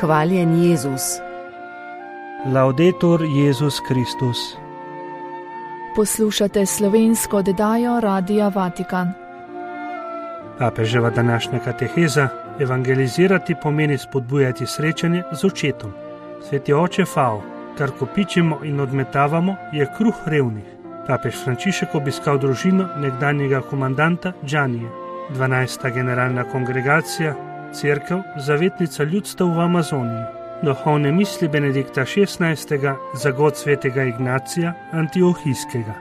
Hvaljen Jezus. Laudetur Jezus Kristus. Poslušate slovensko oddajo Radia Vatikan. Papeževa današnja kateheza: evangelizirati pomeni spodbujati srečanje z očetom. Sveti oče Fao, kar kopičimo in odmetavamo, je kruh revnih. Papež Frančišek obiskal družino nekdanjega komandanta Džanije. 12. generalna kongregacija, cerkev, zavetnica ljudstev v Amazoniji. Duhovne misli Benedikta XVI. Za god svetega Ignacija Antiohijskega.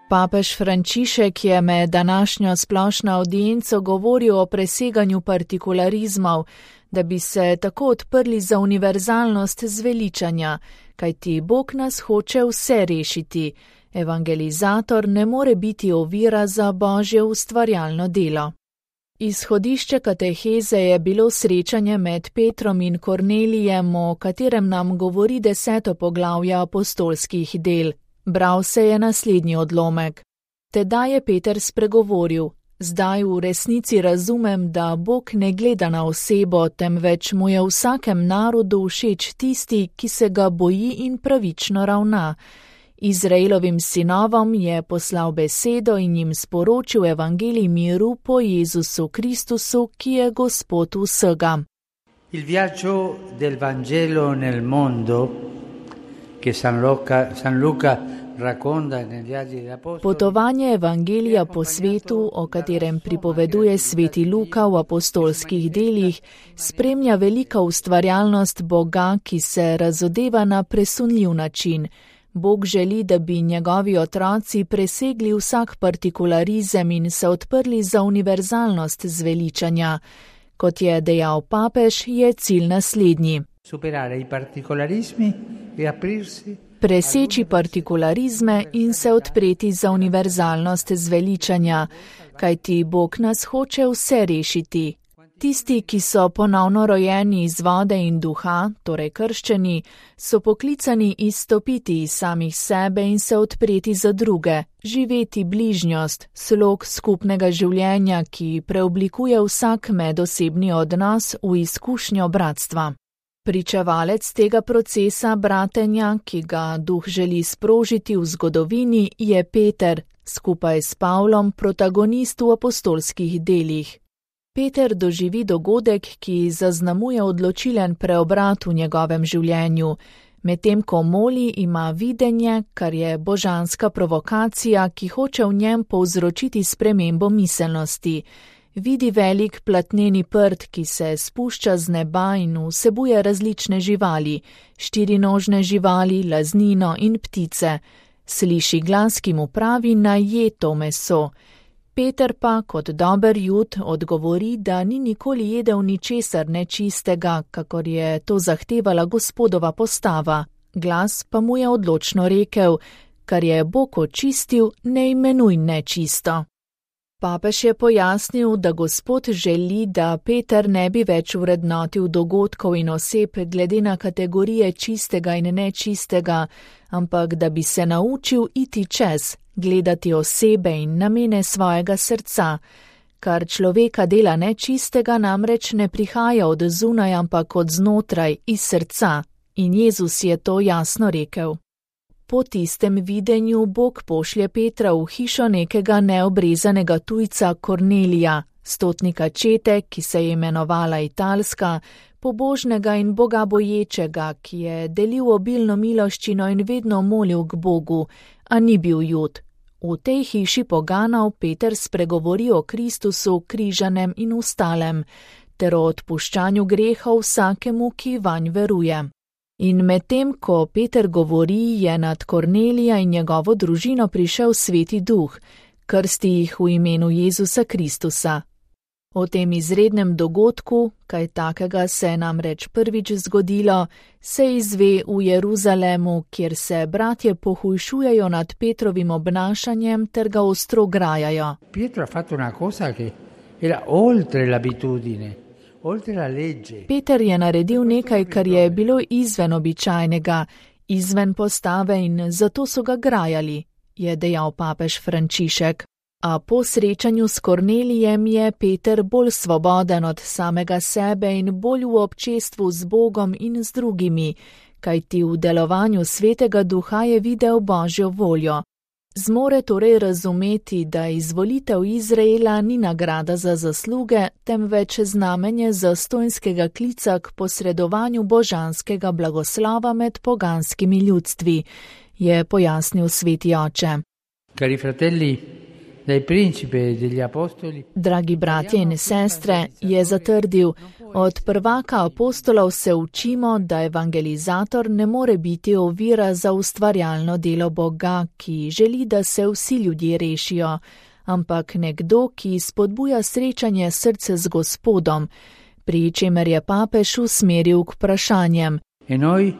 Papež Frančišek je med današnjo splošno audienco govoril o preseganju partikularizmov, da bi se tako odprli za univerzalnost zveličanja, kajti Bog nas hoče vse rešiti. Evangelizator ne more biti ovira za Božje ustvarjalno delo. Izhodišče kateheze je bilo srečanje med Petrom in Kornelijem, o katerem nam govori 10. poglavje apostolskih del. Bral se je naslednji odlomek. Tedaj je Peter spregovoril: zdaj v resnici razumem, da Bog ne gleda na osebo, temveč mu je vsakem narodu všeč tisti, ki se ga boji in pravično ravna. Izraelovim sinovom je poslal besedo in jim sporočil evangelij miru po Jezusu Kristusu, ki je Gospod vsega. Il viaggio del Vangelo nel mondo, che San Luca racconta nei Viaggi degli Apostoli. Potovanje evangelija po svetu, o katerem pripoveduje sveti Luka v apostolskih delih, spremlja velika ustvarjalnost Boga, ki se razodeva na presunljiv način. Bog želi, da bi njegovi otroci presegli vsak partikularizem in se odprli za univerzalnost zveličanja. Kot je dejal papež, je cilj naslednji: preseči partikularizme in se odpreti za univerzalnost zveličanja, kajti Bog nas hoče vse rešiti. Tisti, ki so ponovno rojeni iz vode in duha, torej krščeni, so poklicani izstopiti iz samih sebe in se odpreti za druge, živeti bližnjost, slog skupnega življenja, ki preoblikuje vsak medosebni odnos v izkušnjo bratstva. Pričevalec tega procesa bratenja, ki ga duh želi sprožiti v zgodovini, je Peter, skupaj s Pavlom protagonist v apostolskih delih. Peter doživi dogodek, ki zaznamuje odločilen preobrat v njegovem življenju. Medtem ko moli, ima videnje, kar je božanska provokacija, ki hoče v njem povzročiti spremembo miselnosti. Vidi velik platneni prt, ki se spušča z neba in vsebuje različne živali, štirinožne živali, laznino in ptice. Sliši glas, ki mu pravi, naj je to meso. Peter pa, kot dober Jud, odgovori, da ni nikoli jedel ničesar nečistega, kakor je to zahtevala Gospodova postava. Glas pa mu je odločno rekel: kar je Bog očistil, ne imenuj nečisto. Papež je pojasnil, da Gospod želi, da Peter ne bi več vrednotil dogodkov in oseb glede na kategorije čistega in nečistega, ampak da bi se naučil iti čez, gledati osebe in namene svojega srca. Kar človeka dela nečistega, namreč ne prihaja od zunaj, ampak od znotraj, iz srca. In Jezus je to jasno rekel. Po tistem videnju Bog pošlje Petra v hišo nekega neobrezanega tujca Kornelija, stotnika čete, ki se je imenovala Italska, pobožnega in bogaboječega, ki je delil obilno miloščino in vedno molil k Bogu, a ni bil Jud. V tej hiši poganov Peter spregovori o Kristusu, križanem in ostalem, ter o odpuščanju grehov vsakemu, ki vanj veruje. In medtem, ko Peter govori, je nad Kornelija in njegovo družino prišel Sveti Duh, krsti jih v imenu Jezusa Kristusa. O tem izrednem dogodku, kaj takega se je namreč prvič zgodilo, se izve v Jeruzalemu, kjer se bratje pohujšujejo nad Petrovim obnašanjem ter ga ostro grajajo. Pietro ha fatto una cosa che era oltre l'abitudine. Peter je naredil nekaj, kar je bilo izven običajnega, izven postave in zato so ga grajali, je dejal papež Frančišek. A po srečanju s Kornelijem je Peter bolj svoboden od samega sebe in bolj v občestvu z Bogom in z drugimi, kajti v delovanju Svetega Duha je videl Božjo voljo. Zmore torej razumeti, da izvolitev Izraela ni nagrada za zasluge, temveč znamenje zastonjskega klica k posredovanju božanskega blagoslova med poganskimi ljudstvi, je pojasnil sveti oče. Cari fratelli, dai principi degli apostoli. Dragi bratje in sestre, je zatrdil, od prvaka apostolov se učimo, da evangelizator ne more biti ovira za ustvarjalno delo Boga, ki želi, da se vsi ljudje rešijo, ampak nekdo, ki spodbuja srečanje srce z Gospodom, pri čemer je papež usmeril k vprašanjem. E noi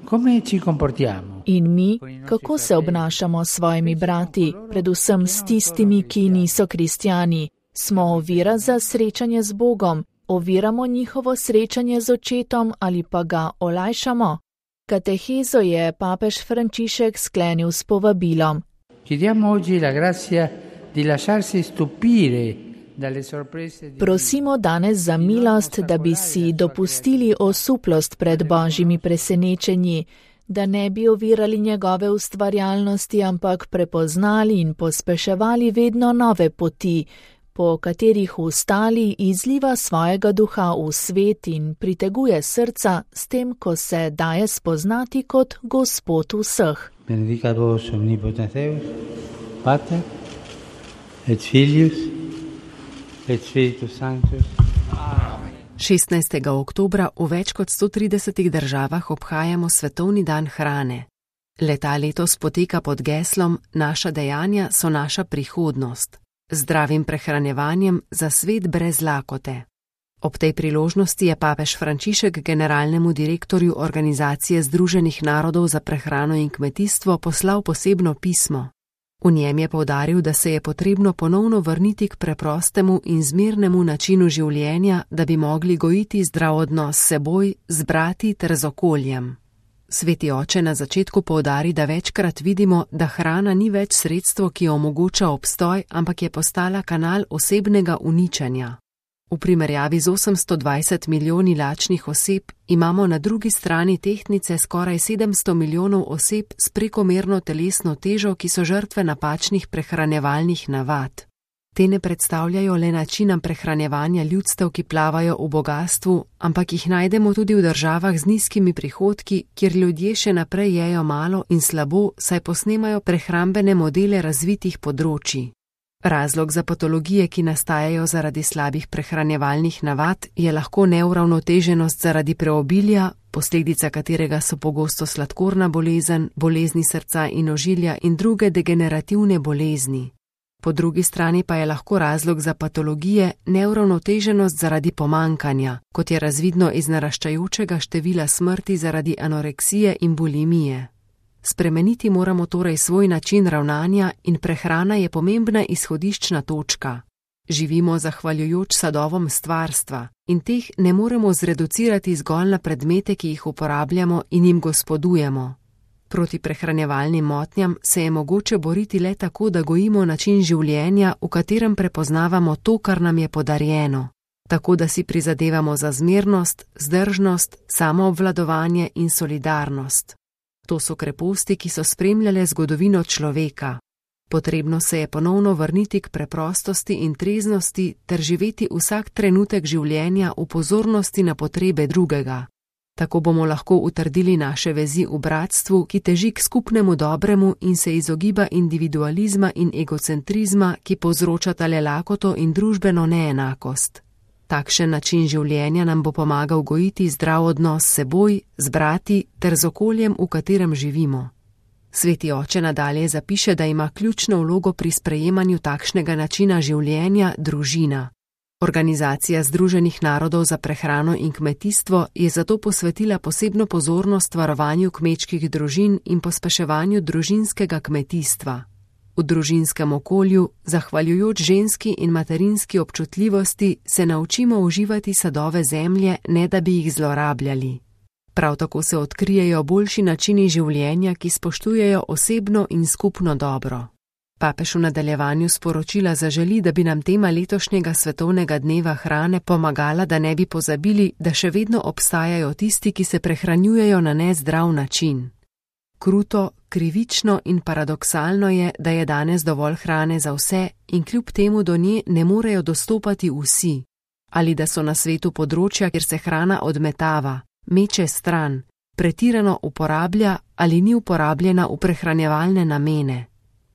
come ci comportiamo? In mi, kako se obnašamo s svojimi brati, predvsem s tistimi, ki niso kristjani? Smo ovira za srečanje z Bogom? Oviramo njihovo srečanje z očetom ali pa ga olajšamo? Katehezo je papež Frančišek sklenil s povabilom. Chiediamo oggi la grazia di lasciarsi stupire dalle sorprese. Prosimo danes za milost, da bi si dopustili osuplost pred Božjimi presenečenji, da ne bi ovirali njegove ustvarjalnosti, ampak prepoznali in pospeševali vedno nove poti, po katerih ustali izliva svojega duha v svet in priteguje srca s tem, ko se daje spoznati kot Gospod vseh. Benedicat vos omnipotens Deus, Pater et Filius et Spiritus Sanctus. 16. oktobra v več kot 130 državah obhajamo Svetovni dan hrane. Leta letos poteka pod geslom Naša dejanja so naša prihodnost. Zdravim prehranjevanjem za svet brez lakote. Ob tej priložnosti je papež Frančišek generalnemu direktorju Organizacije Združenih narodov za prehrano in kmetijstvo poslal posebno pismo. V njem je poudaril, da se je potrebno ponovno vrniti k preprostemu in zmernemu načinu življenja, da bi mogli gojiti zdrav odnos s seboj, z brati ter z okoljem. Sveti oče na začetku poudari, da večkrat vidimo, da hrana ni več sredstvo, ki omogoča obstoj, ampak je postala kanal osebnega uničenja. V primerjavi z 820 milijoni lačnih oseb imamo na drugi strani tehtnice skoraj 700 milijonov oseb s prekomerno telesno težo, ki so žrtve napačnih prehranjevalnih navad. Te ne predstavljajo le načina prehranjevanja ljudstev, ki plavajo v bogastvu, ampak jih najdemo tudi v državah z nizkimi prihodki, kjer ljudje še naprej jejo malo in slabo, saj posnemajo prehrambene modele razvitih področij. Razlog za patologije, ki nastajajo zaradi slabih prehranjevalnih navad, je lahko neuravnoteženost zaradi preobilja, posledica katerega so pogosto sladkorna bolezen, bolezni srca in ožilja in druge degenerativne bolezni. Po drugi strani pa je lahko razlog za patologije neuravnoteženost zaradi pomankanja, kot je razvidno iz naraščajočega števila smrti zaradi anoreksije in bulimije. Spremeniti moramo torej svoj način ravnanja in prehrana je pomembna izhodiščna točka. Živimo zahvaljujoč sadovom stvarstva in teh ne moremo zreducirati zgolj na predmete, ki jih uporabljamo in jim gospodujemo. Proti prehranjevalnim motnjam se je mogoče boriti le tako, da gojimo način življenja, v katerem prepoznavamo to, kar nam je podarjeno. Tako, da si prizadevamo za zmernost, zdržnost, samoobvladovanje in solidarnost. To so kreposti, ki so spremljale zgodovino človeka. Potrebno se je ponovno vrniti k preprostosti in treznosti ter živeti vsak trenutek življenja v pozornosti na potrebe drugega. Tako bomo lahko utrdili naše vezi v bratstvu, ki teži k skupnemu dobremu in se izogiba individualizma in egocentrizma, ki povzročata le lakoto in družbeno neenakost. Takšen način življenja nam bo pomagal gojiti zdrav odnos s seboj, z brati ter z okoljem, v katerem živimo. Sveti oče nadalje zapiše, da ima ključno vlogo pri sprejemanju takšnega načina življenja družina. Organizacija Združenih narodov za prehrano in kmetijstvo je zato posvetila posebno pozornost varovanju kmečkih družin in pospeševanju družinskega kmetijstva. V družinskem okolju, zahvaljujoč ženski in materinski občutljivosti, se naučimo uživati sadove zemlje, ne da bi jih zlorabljali. Prav tako se odkrijejo boljši načini življenja, ki spoštujejo osebno in skupno dobro. Papež v nadaljevanju sporočila zaželi, da bi nam tema letošnjega svetovnega dneva hrane pomagala, da ne bi pozabili, da še vedno obstajajo tisti, ki se prehranjujejo na nezdrav način. Kruto, krivično in paradoksalno je, da je danes dovolj hrane za vse in kljub temu do nje ne morejo dostopati vsi. Ali da so na svetu področja, kjer se hrana odmetava, meče stran, pretirano uporablja ali ni uporabljena v prehranjevalne namene.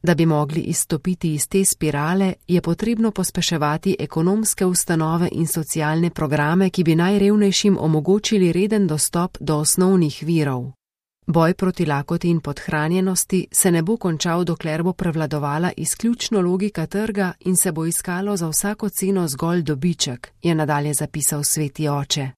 Da bi mogli izstopiti iz te spirale, je potrebno pospeševati ekonomske ustanove in socialne programe, ki bi najrevnejšim omogočili reden dostop do osnovnih virov. Boj proti lakoti in podhranjenosti se ne bo končal, dokler bo prevladovala izključno logika trga in se bo iskalo za vsako ceno zgolj dobiček, je nadalje zapisal Sveti oče.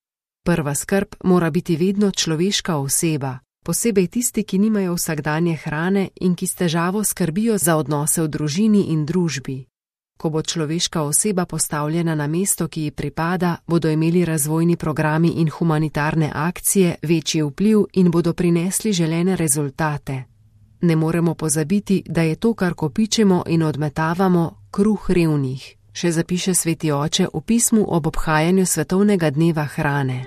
Prva skrb mora biti vedno človeška oseba, posebej tisti, ki nimajo vsakdanje hrane in ki s težavo skrbijo za odnose v družini in družbi. Ko bo človeška oseba postavljena na mesto, ki ji pripada, bodo imeli razvojni programi in humanitarne akcije večji vpliv in bodo prinesli želene rezultate. Ne moremo pozabiti, da je to, kar kopičemo in odmetavamo, kruh revnih, še zapiše Sveti oče v pismu ob obhajanju svetovnega dneva hrane.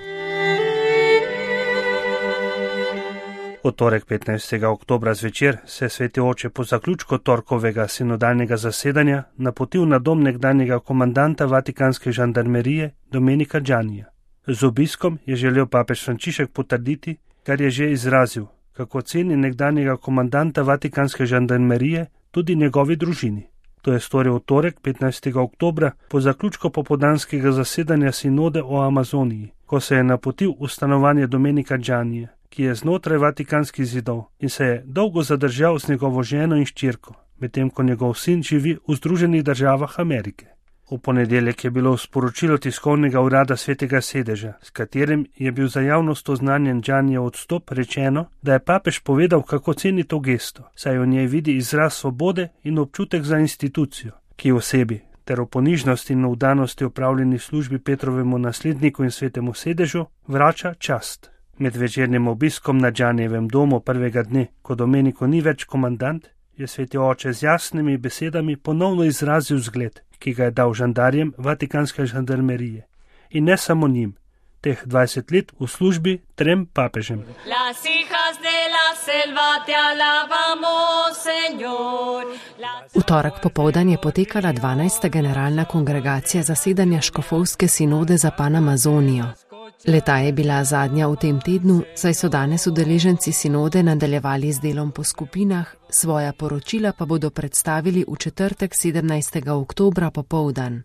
V torek 15. oktobra zvečer se je Sveti oče po zaključku torkovega sinodalnega zasedanja napotil na dom nekdanjega komandanta vatikanske žandarmerije Domenica Giannija. Z obiskom je želel papež Frančišek potrditi, kar je že izrazil, kako ceni nekdanjega komandanta vatikanske žandarmerije tudi njegovi družini. To je storil v torek 15. oktobra po zaključku popoldanskega zasedanja sinode o Amazoniji, ko se je napotil v stanovanje Domenica Giannija, ki je znotraj vatikanskih zidov in se je dolgo zadržal z njegovo ženo in hčerko, medtem ko njegov sin živi v Združenih državah Amerike. V ponedeljek je bilo v sporočilu tiskovnega urada Svetega sedeža, s katerim je bil za javnost oznanjen Giannijev odstop, rečeno, da je papež povedal, kako ceni to gesto, saj v njej vidi izraz svobode in občutek za institucijo, ki v sebi ter v ponižnosti in vdanosti opravljeni službi Petrovemu nasledniku in Svetemu sedežu vrača čast. Med večernim obiskom na Giannijevem domu prvega dne, ko Domenico ni več komandant, je Sveti oče z jasnimi besedami ponovno izrazil zgled, ki ga je dal žandarjem vatikanske žandarmerije. In ne samo njim, teh 20 let v službi 3 papežem. V torek popoldan je potekala 12. generalna kongregacija zasedanja škofovske sinode za Panamazonijo. Leta je bila zadnja v tem tednu, saj so danes udeleženci sinode nadaljevali z delom po skupinah, svoja poročila pa bodo predstavili v četrtek 17. oktobra popoldan.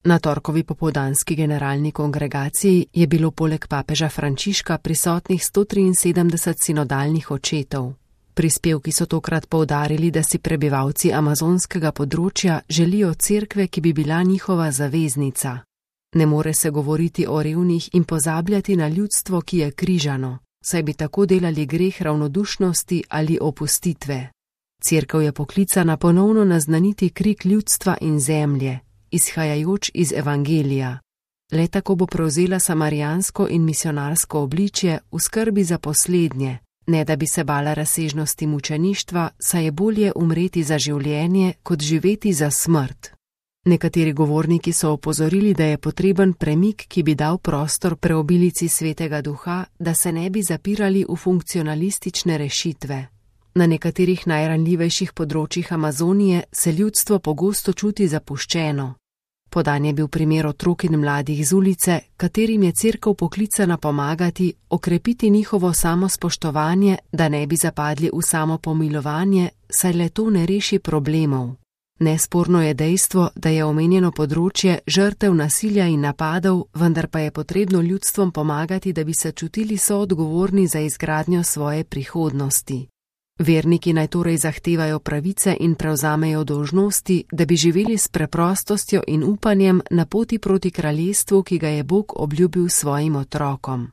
Na torkovi popoldanski generalni kongregaciji je bilo poleg papeža Frančiška prisotnih 173 sinodalnih očetov. Prispevki so tokrat poudarili, da si prebivalci amazonskega področja želijo cerkve, ki bi bila njihova zaveznica. Ne more se govoriti o revnih in pozabljati na ljudstvo, ki je križano, saj bi tako delali greh ravnodušnosti ali opustitve. Cerkev je poklicana ponovno naznaniti krik ljudstva in zemlje, izhajajoč iz evangelija. Le tako bo prevzela samarijansko in misionarsko obličje v skrbi za poslednje, ne da bi se bala razsežnosti mučeništva, saj je bolje umreti za življenje, kot živeti za smrt. Nekateri govorniki so opozorili, da je potreben premik, ki bi dal prostor preobilici Svetega Duha, da se ne bi zapirali v funkcionalistične rešitve. Na nekaterih najranljivejših področjih Amazonije se ljudstvo pogosto čuti zapuščeno. Podan je bil primer otrok in mladih z ulice, katerim je cerkev poklicana pomagati, okrepiti njihovo samospoštovanje, da ne bi zapadli v samopomilovanje, saj le to ne reši problemov. Nesporno je dejstvo, da je omenjeno področje žrtev nasilja in napadov, vendar pa je potrebno ljudstvom pomagati, da bi se čutili soodgovorni za izgradnjo svoje prihodnosti. Verniki naj torej zahtevajo pravice in prevzamejo dolžnosti, da bi živeli s preprostostjo in upanjem na poti proti kraljestvu, ki ga je Bog obljubil svojim otrokom.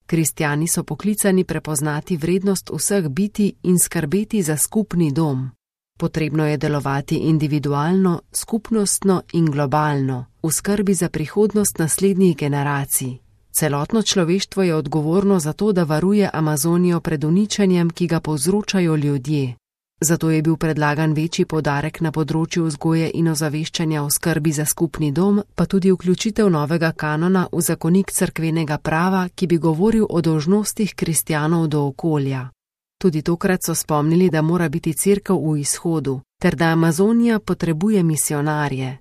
Kristjani so poklicani prepoznati vrednost vseh bitij in skrbeti za skupni dom. Potrebno je delovati individualno, skupnostno in globalno, v skrbi za prihodnost naslednjih generacij. Celotno človeštvo je odgovorno za to, da varuje Amazonijo pred uničenjem, ki ga povzročajo ljudje. Zato je bil predlagan večji poudarek na področju vzgoje in ozaveščanja o skrbi za skupni dom, pa tudi vključitev novega kanona v zakonik cerkvenega prava, ki bi govoril o dolžnostih kristjanov do okolja. Tudi tokrat so spomnili, da mora biti cerkev v izhodu, ter da Amazonija potrebuje misionarje.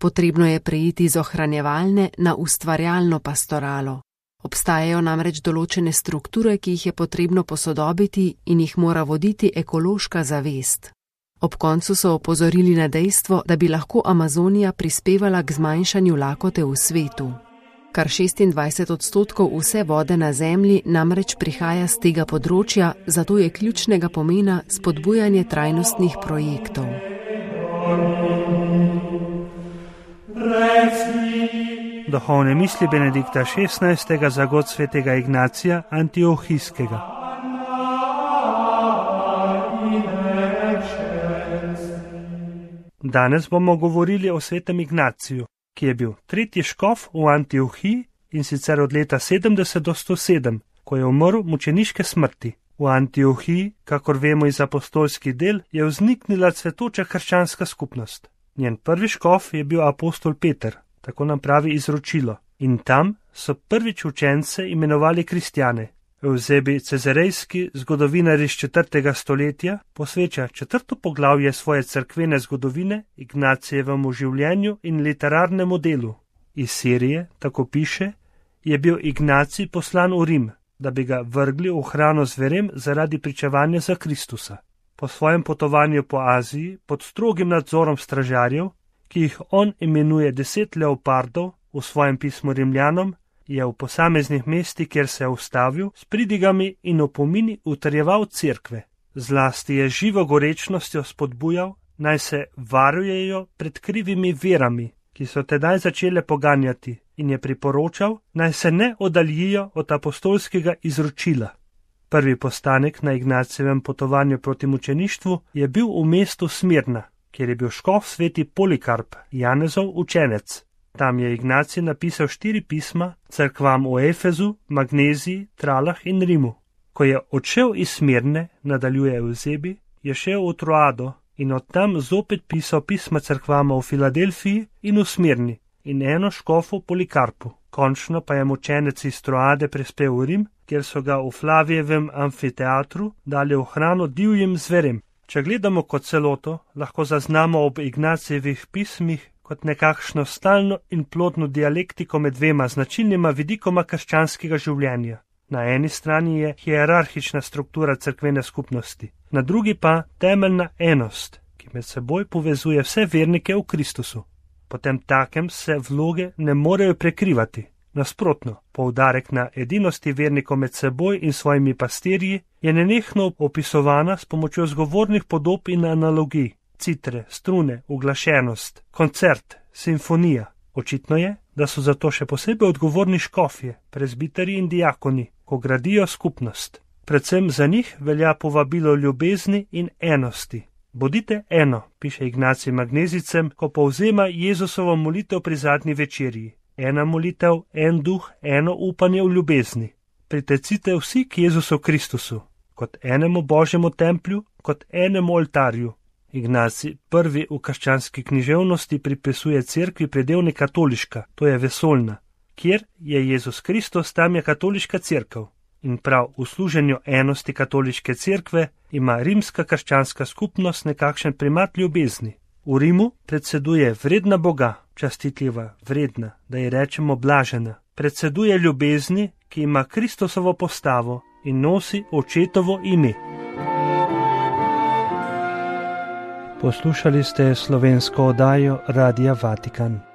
Potrebno je preiti iz ohranjevalne na ustvarjalno pastoralo. Obstajajo namreč določene strukture, ki jih je potrebno posodobiti in jih mora voditi ekološka zavest. Ob koncu so opozorili na dejstvo, da bi lahko Amazonija prispevala k zmanjšanju lakote v svetu. Kar 26% vse vode na Zemlji namreč prihaja z tega področja, zato je ključnega pomena spodbujanje trajnostnih projektov. Duhovne misli Benedikta XVI. Za god svetega Ignacija Antiohijskega. Danes bomo govorili o svetem Ignaciju, ki je bil tretji škof v Antiohiji in sicer od leta 70 do 107, ko je umrl mučeniške smrti. V Antiohiji, kakor vemo iz apostolskih del, je vzniknila cvetoča krščanska skupnost. Njen prvi škof je bil apostol Peter, tako nam pravi izročilo, in tam so prvič učence imenovali kristjane. Eusebi Cezarejski, zgodovinar iz 4. stoletja, posveča 4. poglavje svoje cerkvene zgodovine Ignacijevemu življenju in literarnemu delu. Iz Sirije, tako piše, je bil Ignacij poslan v Rim, da bi ga vrgli v hrano zverem zaradi pričevanja za Kristusa. Po svojem potovanju po Aziji, pod strogim nadzorom stražarjev, ki jih on imenuje 10 leopardov v svojem pismu Rimljanom, je v posameznih mestih, kjer se je ustavil, s pridigami in opomini utrjeval cerkve. Zlasti je živo gorečnostjo spodbujal, naj se varujejo pred krivimi verami, ki so tedaj začele poganjati, in je priporočal, naj se ne oddaljijo od apostolskega izročila. Prvi postanek na Ignacijevem potovanju proti mučeništvu je bil v mestu Smirna, kjer je bil škof sveti Polikarp, Janezov učenec. Tam je Ignacij napisal 4 pisma cerkvam v Efezu, Magneziji, Tralah in Rimu. Ko je odšel iz Smirne, nadaljuje Eusebi, je šel v Troado in od tam zopet pisal pisma cerkvama v Filadelfiji in v Smirni in eno škofu Polikarpu. Končno pa je mučenec iz Troade prispel v Rim, kjer so ga v Flavijevem amfiteatru dali v hrano divjim zverem. Če gledamo kot celoto, lahko zaznamo ob Ignacijevih pismih kot nekakšno stalno in plodno dialektiko med dvema značilnima vidikoma krščanskega življenja. Na eni strani je hierarhična struktura cerkvene skupnosti, na drugi pa temeljna enost, ki med seboj povezuje vse vernike v Kristusu. Potem takem se vloge ne morejo prekrivati. Nasprotno, poudarek na edinosti vernikov med seboj in svojimi pastirji je nenehno opisovana s pomočjo zgovornih podob in analogij. Citre, strune, uglašenost, koncert, simfonija. Očitno je, da so zato še posebej odgovorni škofje, prezbiteri in diakoni, ko gradijo skupnost. Predvsem za njih velja povabilo ljubezni in enosti. Bodite eno, piše Ignacij Magnezijcem, ko povzema Jezusovo molitev pri zadnji večerji. Ena molitev, en duh, eno upanje v ljubezni. Pritecite vsi k Jezusu Kristusu, kot enemu Božjemu templju, kot enemu oltarju. Ignacij prvi v krščanski književnosti pripisuje cerkvi predevni katoliška, to je vesoljna. Kjer je Jezus Kristus, tam je katoliška cerkev. In prav v služenju enosti katoliške cerkve ima rimska krščanska skupnost nekakšen primat ljubezni. V Rimu predseduje vredna Boga, častitljiva, vredna, da ji rečemo blažena. Predseduje ljubezni, ki ima Kristusovo postavo in nosi očetovo ime. Poslušali ste slovensko oddajo Radia Vatikan.